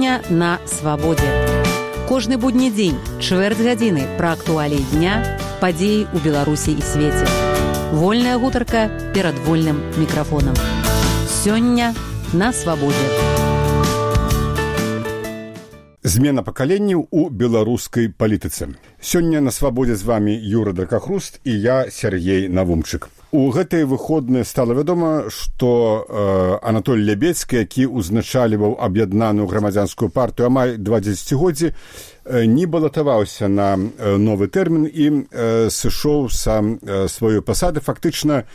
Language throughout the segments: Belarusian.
Сёння на свабодзе. Кожны будні дзень, чвэрць гадзіны пра актуаліі дня, падзеі ў Беларусі і свеце. Вольная гутарка перад вольным мікрафонам. Сёння на свабодзе. Змена пакаленняў у беларускай палітыцы. Сёння на свабодзе з вамі Юра Дракахруст і я, Сергей Навумчык. У гэтыя выходныя стала вядома, што Анатолій Лябедзькі, які ўзначальваў аб'яднаную грамадзянскую партыю амаль 2 дзесяцігоддзі, не балатаваўся на новы тэрмін і сышоў са сваёй пасады. Фактычна,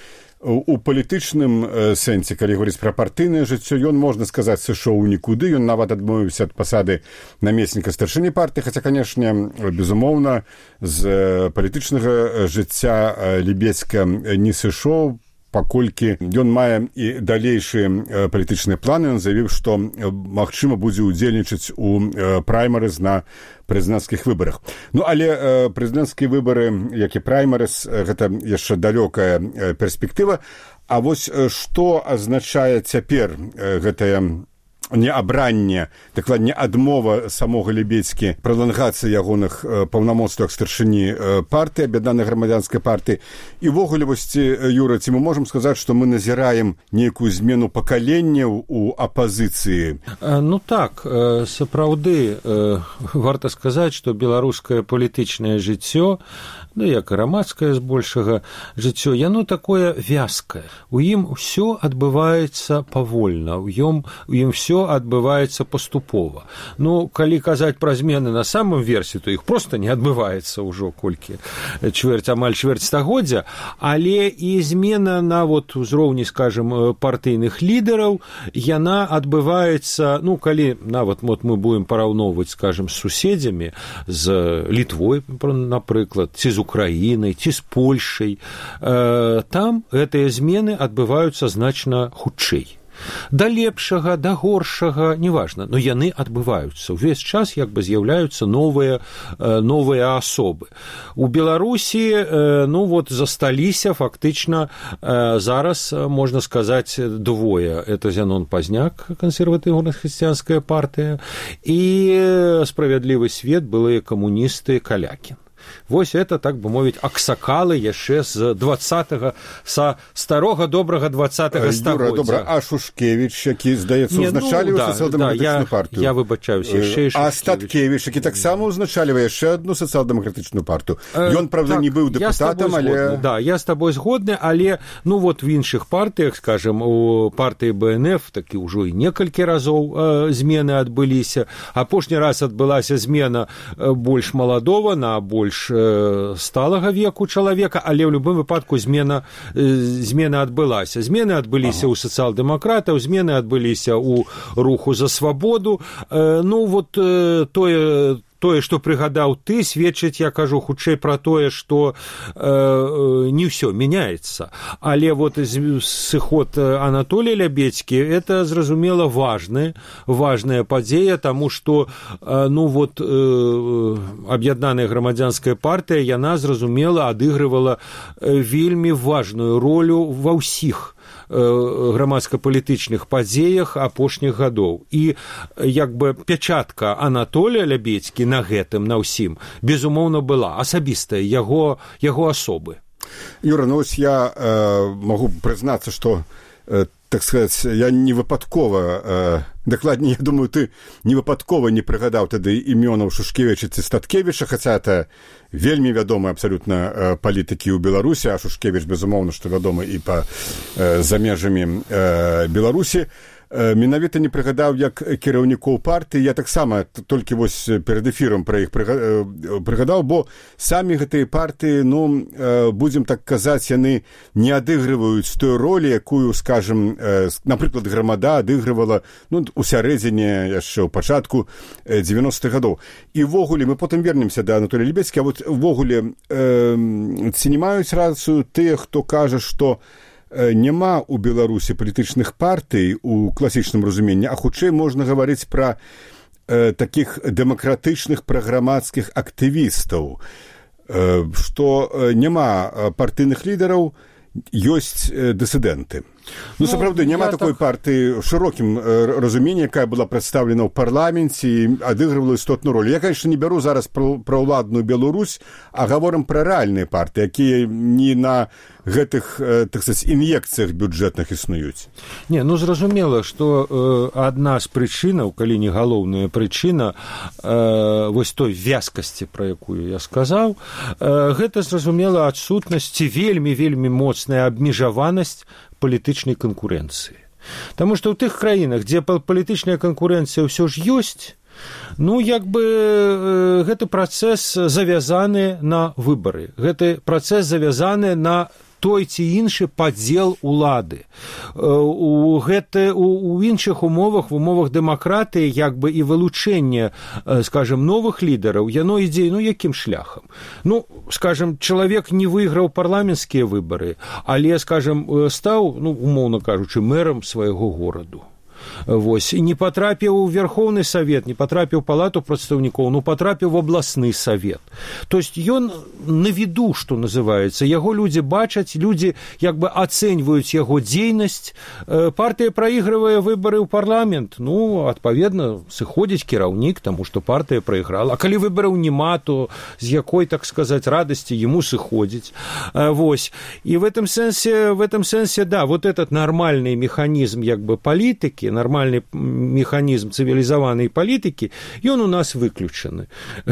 у палітычным сэнсе, калі говоріць пра партыйнае жыццё, ён, можна сказаць, сышоў у нікуды. Ён нават адмовіўся ад пасады намесніка старшыні партыі, хаця, канешне, безумоўна, з палітычнага жыцця Лябедзька не сышоў, паколькі ён мае і далейшыя палітычныя планы. Ён заявіў, што, магчыма, будзе ўдзельнічаць у праймарыз на прэзідэнцкіх выбарах. Ну, але прэзідэнцкія выбары, як і праймарыз, гэта яшчэ далёкая перспектыва. А вось што азначае цяпер гэтая неабранне, дакладней адмова самога Лябедзькі, пралангацыя ягоных паўнамоцтваў старшыні партыі, аб'яднанай грамадзянскай партыі. І ўвогуле, вось, Юра, ці мы можам сказаць, што мы назіраем нейкую змену пакаленняў у апазіцыі? Ну так, сапраўды, варта сказаць, што беларускае палітычнае жыццё, ну, як і грамадскае збольшага жыццё, яно такое вязкае. У ім усё адбываецца павольна, у ім всё адбываецца паступова. Ну, калі казаць пра змены на самым версе, то іх проста не адбываецца ўжо колькі амаль чвэрць стагоддзя, але і змена на вот узроўні, скажем, партыйных лідараў, яна адбываецца, ну, калі нават вот мы будем параўноўваць, скажем, з суседзямі, з Літвой, напрыклад, ці з Украінай, ці з Польшай, там гэтыя змены адбываюцца значна хутчэй. Да лепшага, да горшага, неважна, но яны адбываюцца. Увесь час як бы з'яўляюцца новыя асобы. У Беларусі, ну вот, засталіся фактычна зараз, можна сказаць, двое. Это Зянон Пазняк, кансерватыўна-хрысціянская партыя, і Справядлівы свет, былыя камуністы, Калякін. Вось это, так бы мовіць, аксакалы яшчэ з 20-го, са старога добрага 20-го стагоддзя. Юра, добра, а Шушкевіч, які, здаецца, узначалівае сацыял-дэмакратычную партыю? Я выбачаюся, яшчэ і Шушкевіч. А Статкевіч, які таксама узначалівае яшчэ адну сацыял-дэмакратычную партыю. Ён, правда, не быў дэпутатам, але... Да, я з табой згодны, але, ну, вот в іншых партыях, скажем, у партыі БНФ такі ўжо і некалькі разоў змены адбыліся. Апошні раз адбылася змена больш маладова на больш сталага веку чалавека, але ў любым выпадку змена адбылася. Змены адбыліся ў сацыял-дэмакратаў, змены адбыліся ў руху за свабоду. Ну, вот тое, што прыгадаў ты, сведчыць, я кажу, хутчэй пра тое, што не ўсё мяняецца. Але вот сыход Анатолія Лябедзькі, это, зразумела, важная падзея, таму што, ну вот, аб'яднаная грамадзянская партыя, яна, зразумела, адыгрывала вельмі важную ролю ва ўсіх грамадска-палітычных падзеях апошніх гадоў. І як бы пячатка Анатолія Лябедзькі на гэтым, на ўсім, безумоўна, была асабістая яго асобы. Юра, ну ось я магу прызнацца, што, так сказаць, я не выпадкова, дакладней, я думаю, ты не выпадкова не прыгадаў тады імёнаў Шушкевіча ці Статкевіча, хаця это вельмі вядомыя абсалютна палітыкі ў Беларусі, а Шушкевіч, безумоўна, што вядомы і за межамі Беларусі. Менавіта не прыгадаў як кіраўнікоў партыі. Я таксама толькі вось перад эфірам пра іх прыгадаў, бо самі гэтыя партыі, ну, будзем так казаць, яны не адыгрываюць той ролі, якую, скажем, напрыклад, Грамада адыгрывала, ну, у сярэдзіне, яшчэ ў пачатку 90-х гадоў. І ввогуле, мы потым вернемся да Анатолія Лябедзькі, а вот ввогуле ці не маюць рацыю тыя, хто кажа, што няма ў Беларусі палітычных партый у класічным разуменні, а хутчэй можна гаварыць пра такіх дэмакратычных праграмацкіх актывістаў, што няма партыйных лідараў, ёсць дысідэнты. Ну, сапраўды, няма такой партыі ў шырокім разуменні, якая была прадстаўлена ў парламенце і адыгрывала істотную роль. Я, конечно, не бяру зараз пра ўладную Беларусь, а гаворым пра рэальныя партыі, якія не на гэтых, так сказать, ін'екцыях бюджэтных існуюць. Не, ну, зразумела, што адна з прычынаў, калі не галоўная прычына вось той вязкасці, пра якую я сказаў, гэта, зразумела, адсутнасць вельмі моцная абмежаванасць палітычнай канкурэнцыі. Таму што ў тых краінах, дзе палітычная канкурэнцыя ўсё ж ёсць, ну, як бы гэты працэс завязаны на выбары. Гэты працэс завязаны на той ці іншы падзел улады. У іншых умовах, в умовах дэмакратыі, як бы і вылучэнне, скажем, новых лідараў, яно ідзе, ну, якім шляхам? Ну, скажем, чалавек не выйграў парламенцкія выбары, але, скажем, стаў, ну, умоўна кажучы, мэрам свайго гораду. Вось, і не патрапіў у Верховны Савет, не патрапіў у палату прадстаўнікоў, ну, патрапіў в абласны савет. То есть ён на віду, што называецца, яго людзі бачаць, людзі як бы ацэньваюць яго дзейнасць, партыя праігрывае выбары ў парламент, ну, адпаведна, сыходзіць кіраўнік, таму што партыя праіграла. А калі выбараў няма, то з якой, так сказаць, радасці яму сыходзіць. Вось. І в этом сэнсе, да, вот этот нормальный механізм як бы палітыкі, нормальный механізм цывілізаванай палітыкі, ён у нас выключаны.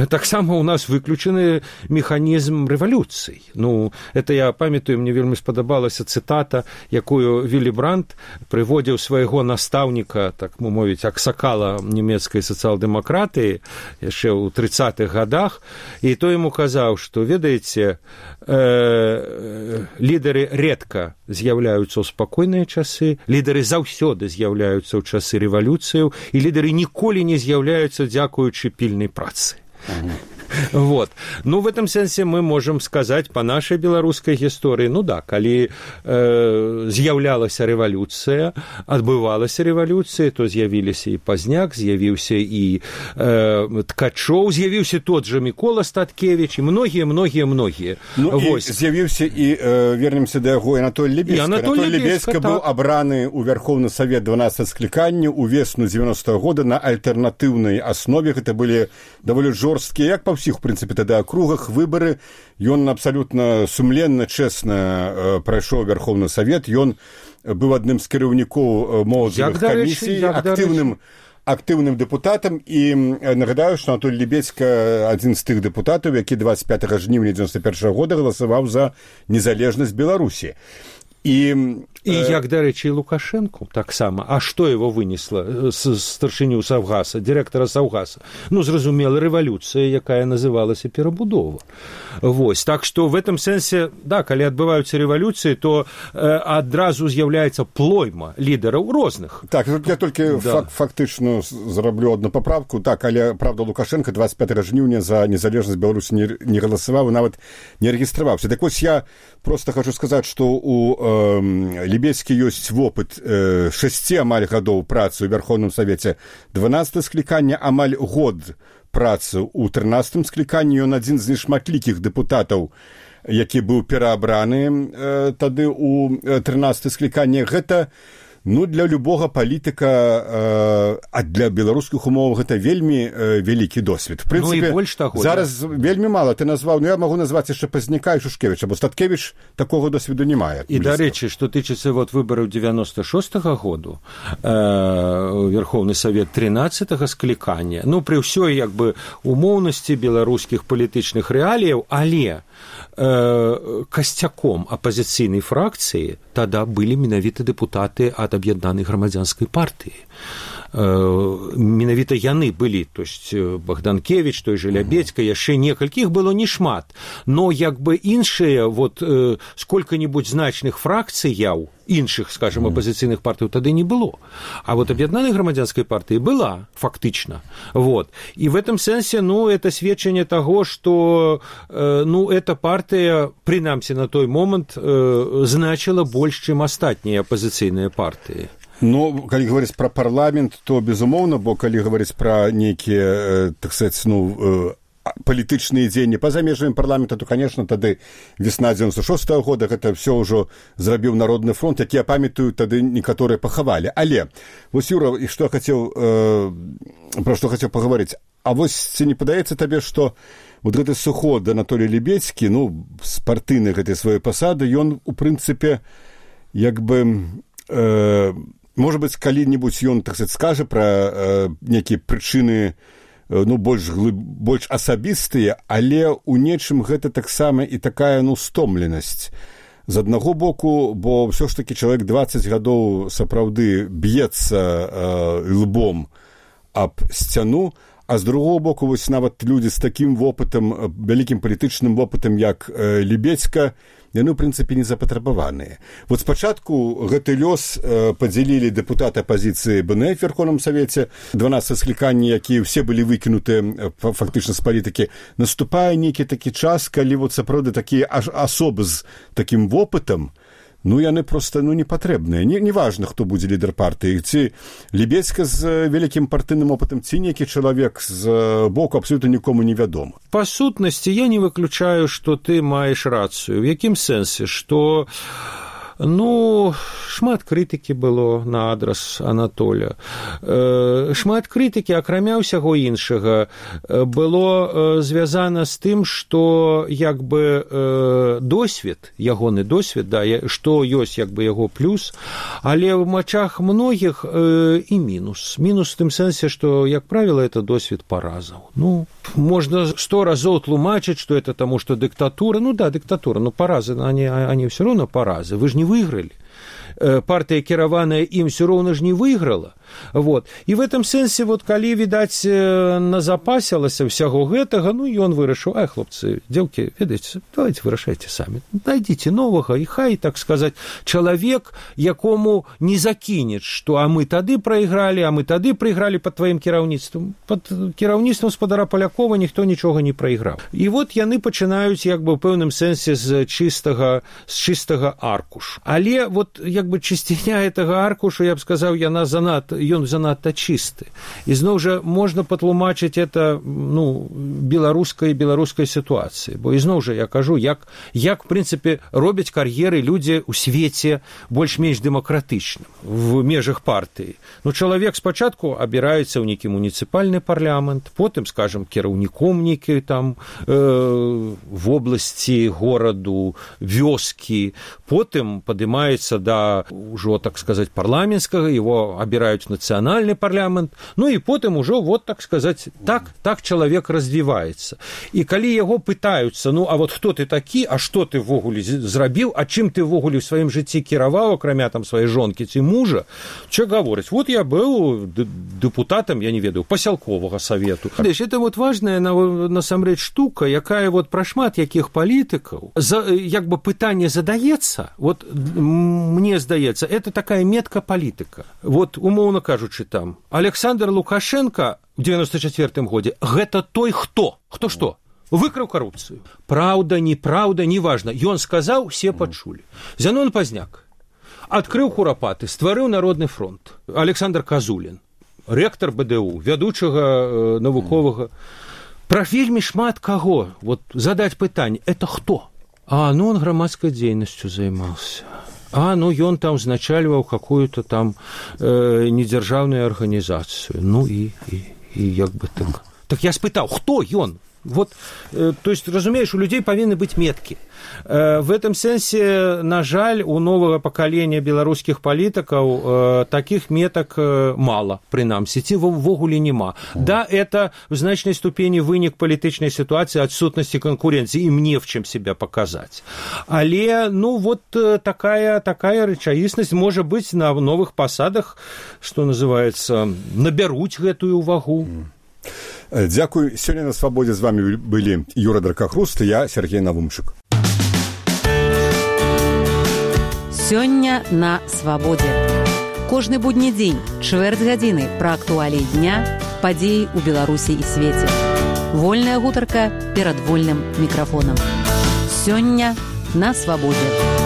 Таксама у нас выключаны механізм рэвалюцый. Ну, это я памятаю, мне вельмі спадабалася цытата, якую Віллі Брандт прыводзіў свайго настаўніка, так мовіць, аксакала нямецкай сацыял-дэмакратыі яшчэ ў 30-х гадах, і той яму казаў, што, ведаеце, лідары рэдка з'яўляюцца ў спакойныя часы, лідары заўсёды з'яўляюцца ў часы рэвалюцыяў, і лідары ніколі не з'яўляюцца дзякуючы пільнай працы. Вот. Ну, в этом сенсе мы можем сказать по нашей белорусской истории, ну да, калі з'яўлялася рэвалюцыя, адбывалася рэвалюцыя, то з'явіліся і Пазняк, з'явіўся і Ткачоў, з'явіўся тот же Мікола Статкевич, і многія. Ну, і з'явіўся і, вернемся да яго, Анатоль Лебедзька. Анатоль Лебедзька быў абраны ў Верховны Савет 12 склікання ў весну 90-го года на альтэрнатыўнай аснове. Гэта былі даволі жорсткія, як па ўсіх, в прынцыпе, тады акругах выбары. Ён абсалютна сумленна, чэсна прайшоў Верховны Савет. Ён быў адным з кіраўнікоў моладзевых камісій, актыўным дэпутатам, і нагадаю, што Анатоль Лебедзька адзін з тых дэпутатаў, які 25 жніўня 91 года галасаваў за незалежнасць Беларусі. І як, дарэчы, Лукашенко таксама. А што его вынесла старшыню Саўгаса, дырэктара Саўгаса? Ну, зразумела, рэвалюцыя, якая называлася перабудова. Вось. Так што в этом сэнсе, да, калі адбываюцца рэвалюцыі, то адразу з'яўляецца плойма лідараў розных. Так, я толькі фактычна зраблю одну паправку. Так, але, правда, Лукашенко 25 жніўня за незалежнасць Беларусі не галасаваў, нават не рэгістраваўся. Так вось я просто хочу сказаць, што у Лебедзькі ёсць вопыт 6 амаль гадоў працы ў Верховным Савеце 12 склікання, амаль год працы ў 13 скліканні. Ён адзін з нешматлікіх дэпутатаў, які быў пераабраны тады ў 13 скліканні. Гэта, ну, для любога палітыка, а для беларускіх умоваў гэта вельмі вялікі досвед. В прынцыпе, ну, таго, зараз вельмі мала ты назваў, ну, я магу назваць яшчэ Пазняка і Шушкевіча, бо Статкевіч такога досведу не мае. І, дарэчы, што тычыцца вот выбараў 96-го году, Верховны Савет 13-го склікання, ну, пры ўсёй, як бы, умоўнасці беларускіх палітычных рэаліяў, але касцяком апазіцыйнай фракцыі тада былі менавіта дэпутаты ад аб'яднанай грамадзянскай партыі. Менавіта яны былі, то есть Богданкевич, той же Лебедзька, яшчэ некалькі, іх было не шмат, но як бы іншыя вот сколько-нибудь значных фракцыяў іншых, скажем, апозіцыйных партый тады не было. А вот аб'яднанай грамадзянскай партыі была, фактычна. Вот. И в этом сэнсе, ну, это сведчанне таго, што, ну, эта партыя, прынамсі на той момант, значила больш, чым астатнія апозіцыйныя партыі. Ну, калі гаварыць пра парламент, то безумоўна, бо калі гаварыць пра нейкія, так сказаць, ну, палітычныя дзеянні па-за межамі парламента, то, конечно, тады весна 96-го года гэта все ўжо зрабіў Народны фронт, які, я памятаю, тады некаторыя пахавалі. Але, вось, Юра, і што хацеў, пра што хацеў пагаварыць, а вось ці не падаецца табе, што вот гэты суход Анатолій Лебедзькі, ну, з партыйнай гэтай сваёй пасады, ён, у прынцыпе, як бы, можа быць, калі-небудзь ён, так сказаць, скажа пра нейкія прычыны, ну, больш асабістыя, але ў нечым гэта таксама і такая, ну, стомленасць. З аднаго боку, бо ўсё ж такі чалавек 20 гадоў сапраўды б'ецца лбом аб сцяну, а з другого боку, вось нават людзі з такім вопытам, вялікім палітычным вопытам, як Лебедзька, яны, ў прынцыпе, не запатрабаваныя. Вот спачатку гэты лёс падзялілі дэпутаты апазіцыі БНФ в Верховном Савеце, 12 скліканні, якія ўсе былі выкінутыя фактычна з палітыкі. Наступае нейкі такі час, калі вот сапраўды такія асобы з такім вопытам, ну, яны проста, ну, не патрэбныя. Не важна, хто будзе лідар партыі. Ці Лебедзька з вялікім партыйным опытам, ці нейкі чалавек з боку абсолютно нікому не вядома. Па сутнасці, я не выключаю, што ты маеш рацыю. В якім сэнсе? Што, ну, шмат крытыкі было на адрас Анатоля. Шмат крытыкі, акрамя ўсяго іншага, было звязана з тым, што, як бы, досвед, ягоны досвед, да, што ёсць, як бы, яго плюс, але ў мачах многіх і мінус. Мінус в тым сэнсе, што, як правіла, это досвед паразаў. Ну, можна 100 разоў тлумачыць, што это таму, што дыктатура, ну да, дыктатура, но паразы, они все равно паразы, вы ж не выиграли. Партия, кіраваная ім, все роўна ж не выйграла. Вот. І в этом сэнсе, вот, калі, відаць, назапасілася ўсяго гэтага, ну, ён вырашыў, ай, хлопцы, дзеўкі, ведаеце, давайте вырашайце самі. Найдзіце новага, і хай, так сказаць, чалавек, якому не закінеш, што а мы тады прайгралі пад тваім кіраўніцтвам. Пад кіраўніцтвам спадара Палякова ніхто нічога не прайграў. І вот яны пачынаюць, як бы, ў пэўным сэнсе з чыстага аркушу. Але, вот, як бы, чысціня гэтага аркушу, я б сказаў, ён занадта чысты. І зноў жа можна патлумачыць это, ну, беларускай сітуацыі. Бо ізноў жа я кажу, як в прынцыпе робяць кар'еры людзі ў свеце больш-менш дэмакратычным в межах партыі. Ну, чалавек спачатку абіраецца ў нейкі муніцыпальны парламент, потым, скажам, кіраўніком нейкі там вобласці, гораду, вёскі, потым падымаецца да ўжо, так сказаць, парламенцкага, его абіраюць нацыянальны парламент, ну і потым ужо, вот, так сказаць, так чалавек развіваецца. І калі яго пытаюцца, ну, а вот хто ты такі, а што ты ввогуле зрабіў, а чым ты ввогуле ў сваім жыцці кіраваў, акрамя там сваёй жонкі ці мужа, čo гаворыць? Вот я быў дэпутатам, я не ведаю, пасялковага савету. Это вот важная, насамрэч, штука, якая вот пра шмат якіх палітыкаў, як бы пытанне задаецца, вот мне здаецца, это такая метка палітыка. Вот, умоўна кажучы, там, Александр Лукашенко ў 94-м годзе, гэта той, хто што? Выкраў карупцыю. Праўда, неправда, неважна. Ён сказаў, все пачулі. Зянон Пазняк адкрыў курапаты, стварыў Народны фронт. Александр Казулін, рэктар БДУ, вядучага навуковага. Пра вельмі шмат каго, вот, задаць пытанне, это хто? Ну, он грамадскай дзейнасцю займаўся. Ну, ён там узначальваў какую-то там недзяржаўную арганізацыю. Ну, і як бы так. Так я спытаў, хто ён? Вот, то есть, разумеешь, у людей павінны быць меткі. В этом сэнсе, на жаль, у новага пакалення беларускіх палітыкаў такіх метак мала, прынамсі, ці ввогуле няма. Да, это в значнай ступені вынік палітычнай сітуацыі, адсутнасці канкурэнцыі, ім не в чым себя паказаць. Але, ну, вот такая рэчаіснасць можа быць на новых пасадах, што называецца, набяруць гэтую вагу. Дзякуй. Сёння на свабодзе з вами былі Юра Дракахруст і я, Сергей Навумчык. Сёння на свабодзе. Кожны будні дзень, чвэрць гадзіны пра актуаліі дня, падзеі ў Беларусі і свеце. Вольная гутарка перад вольным мікрафонам. Сёння на свабодзе.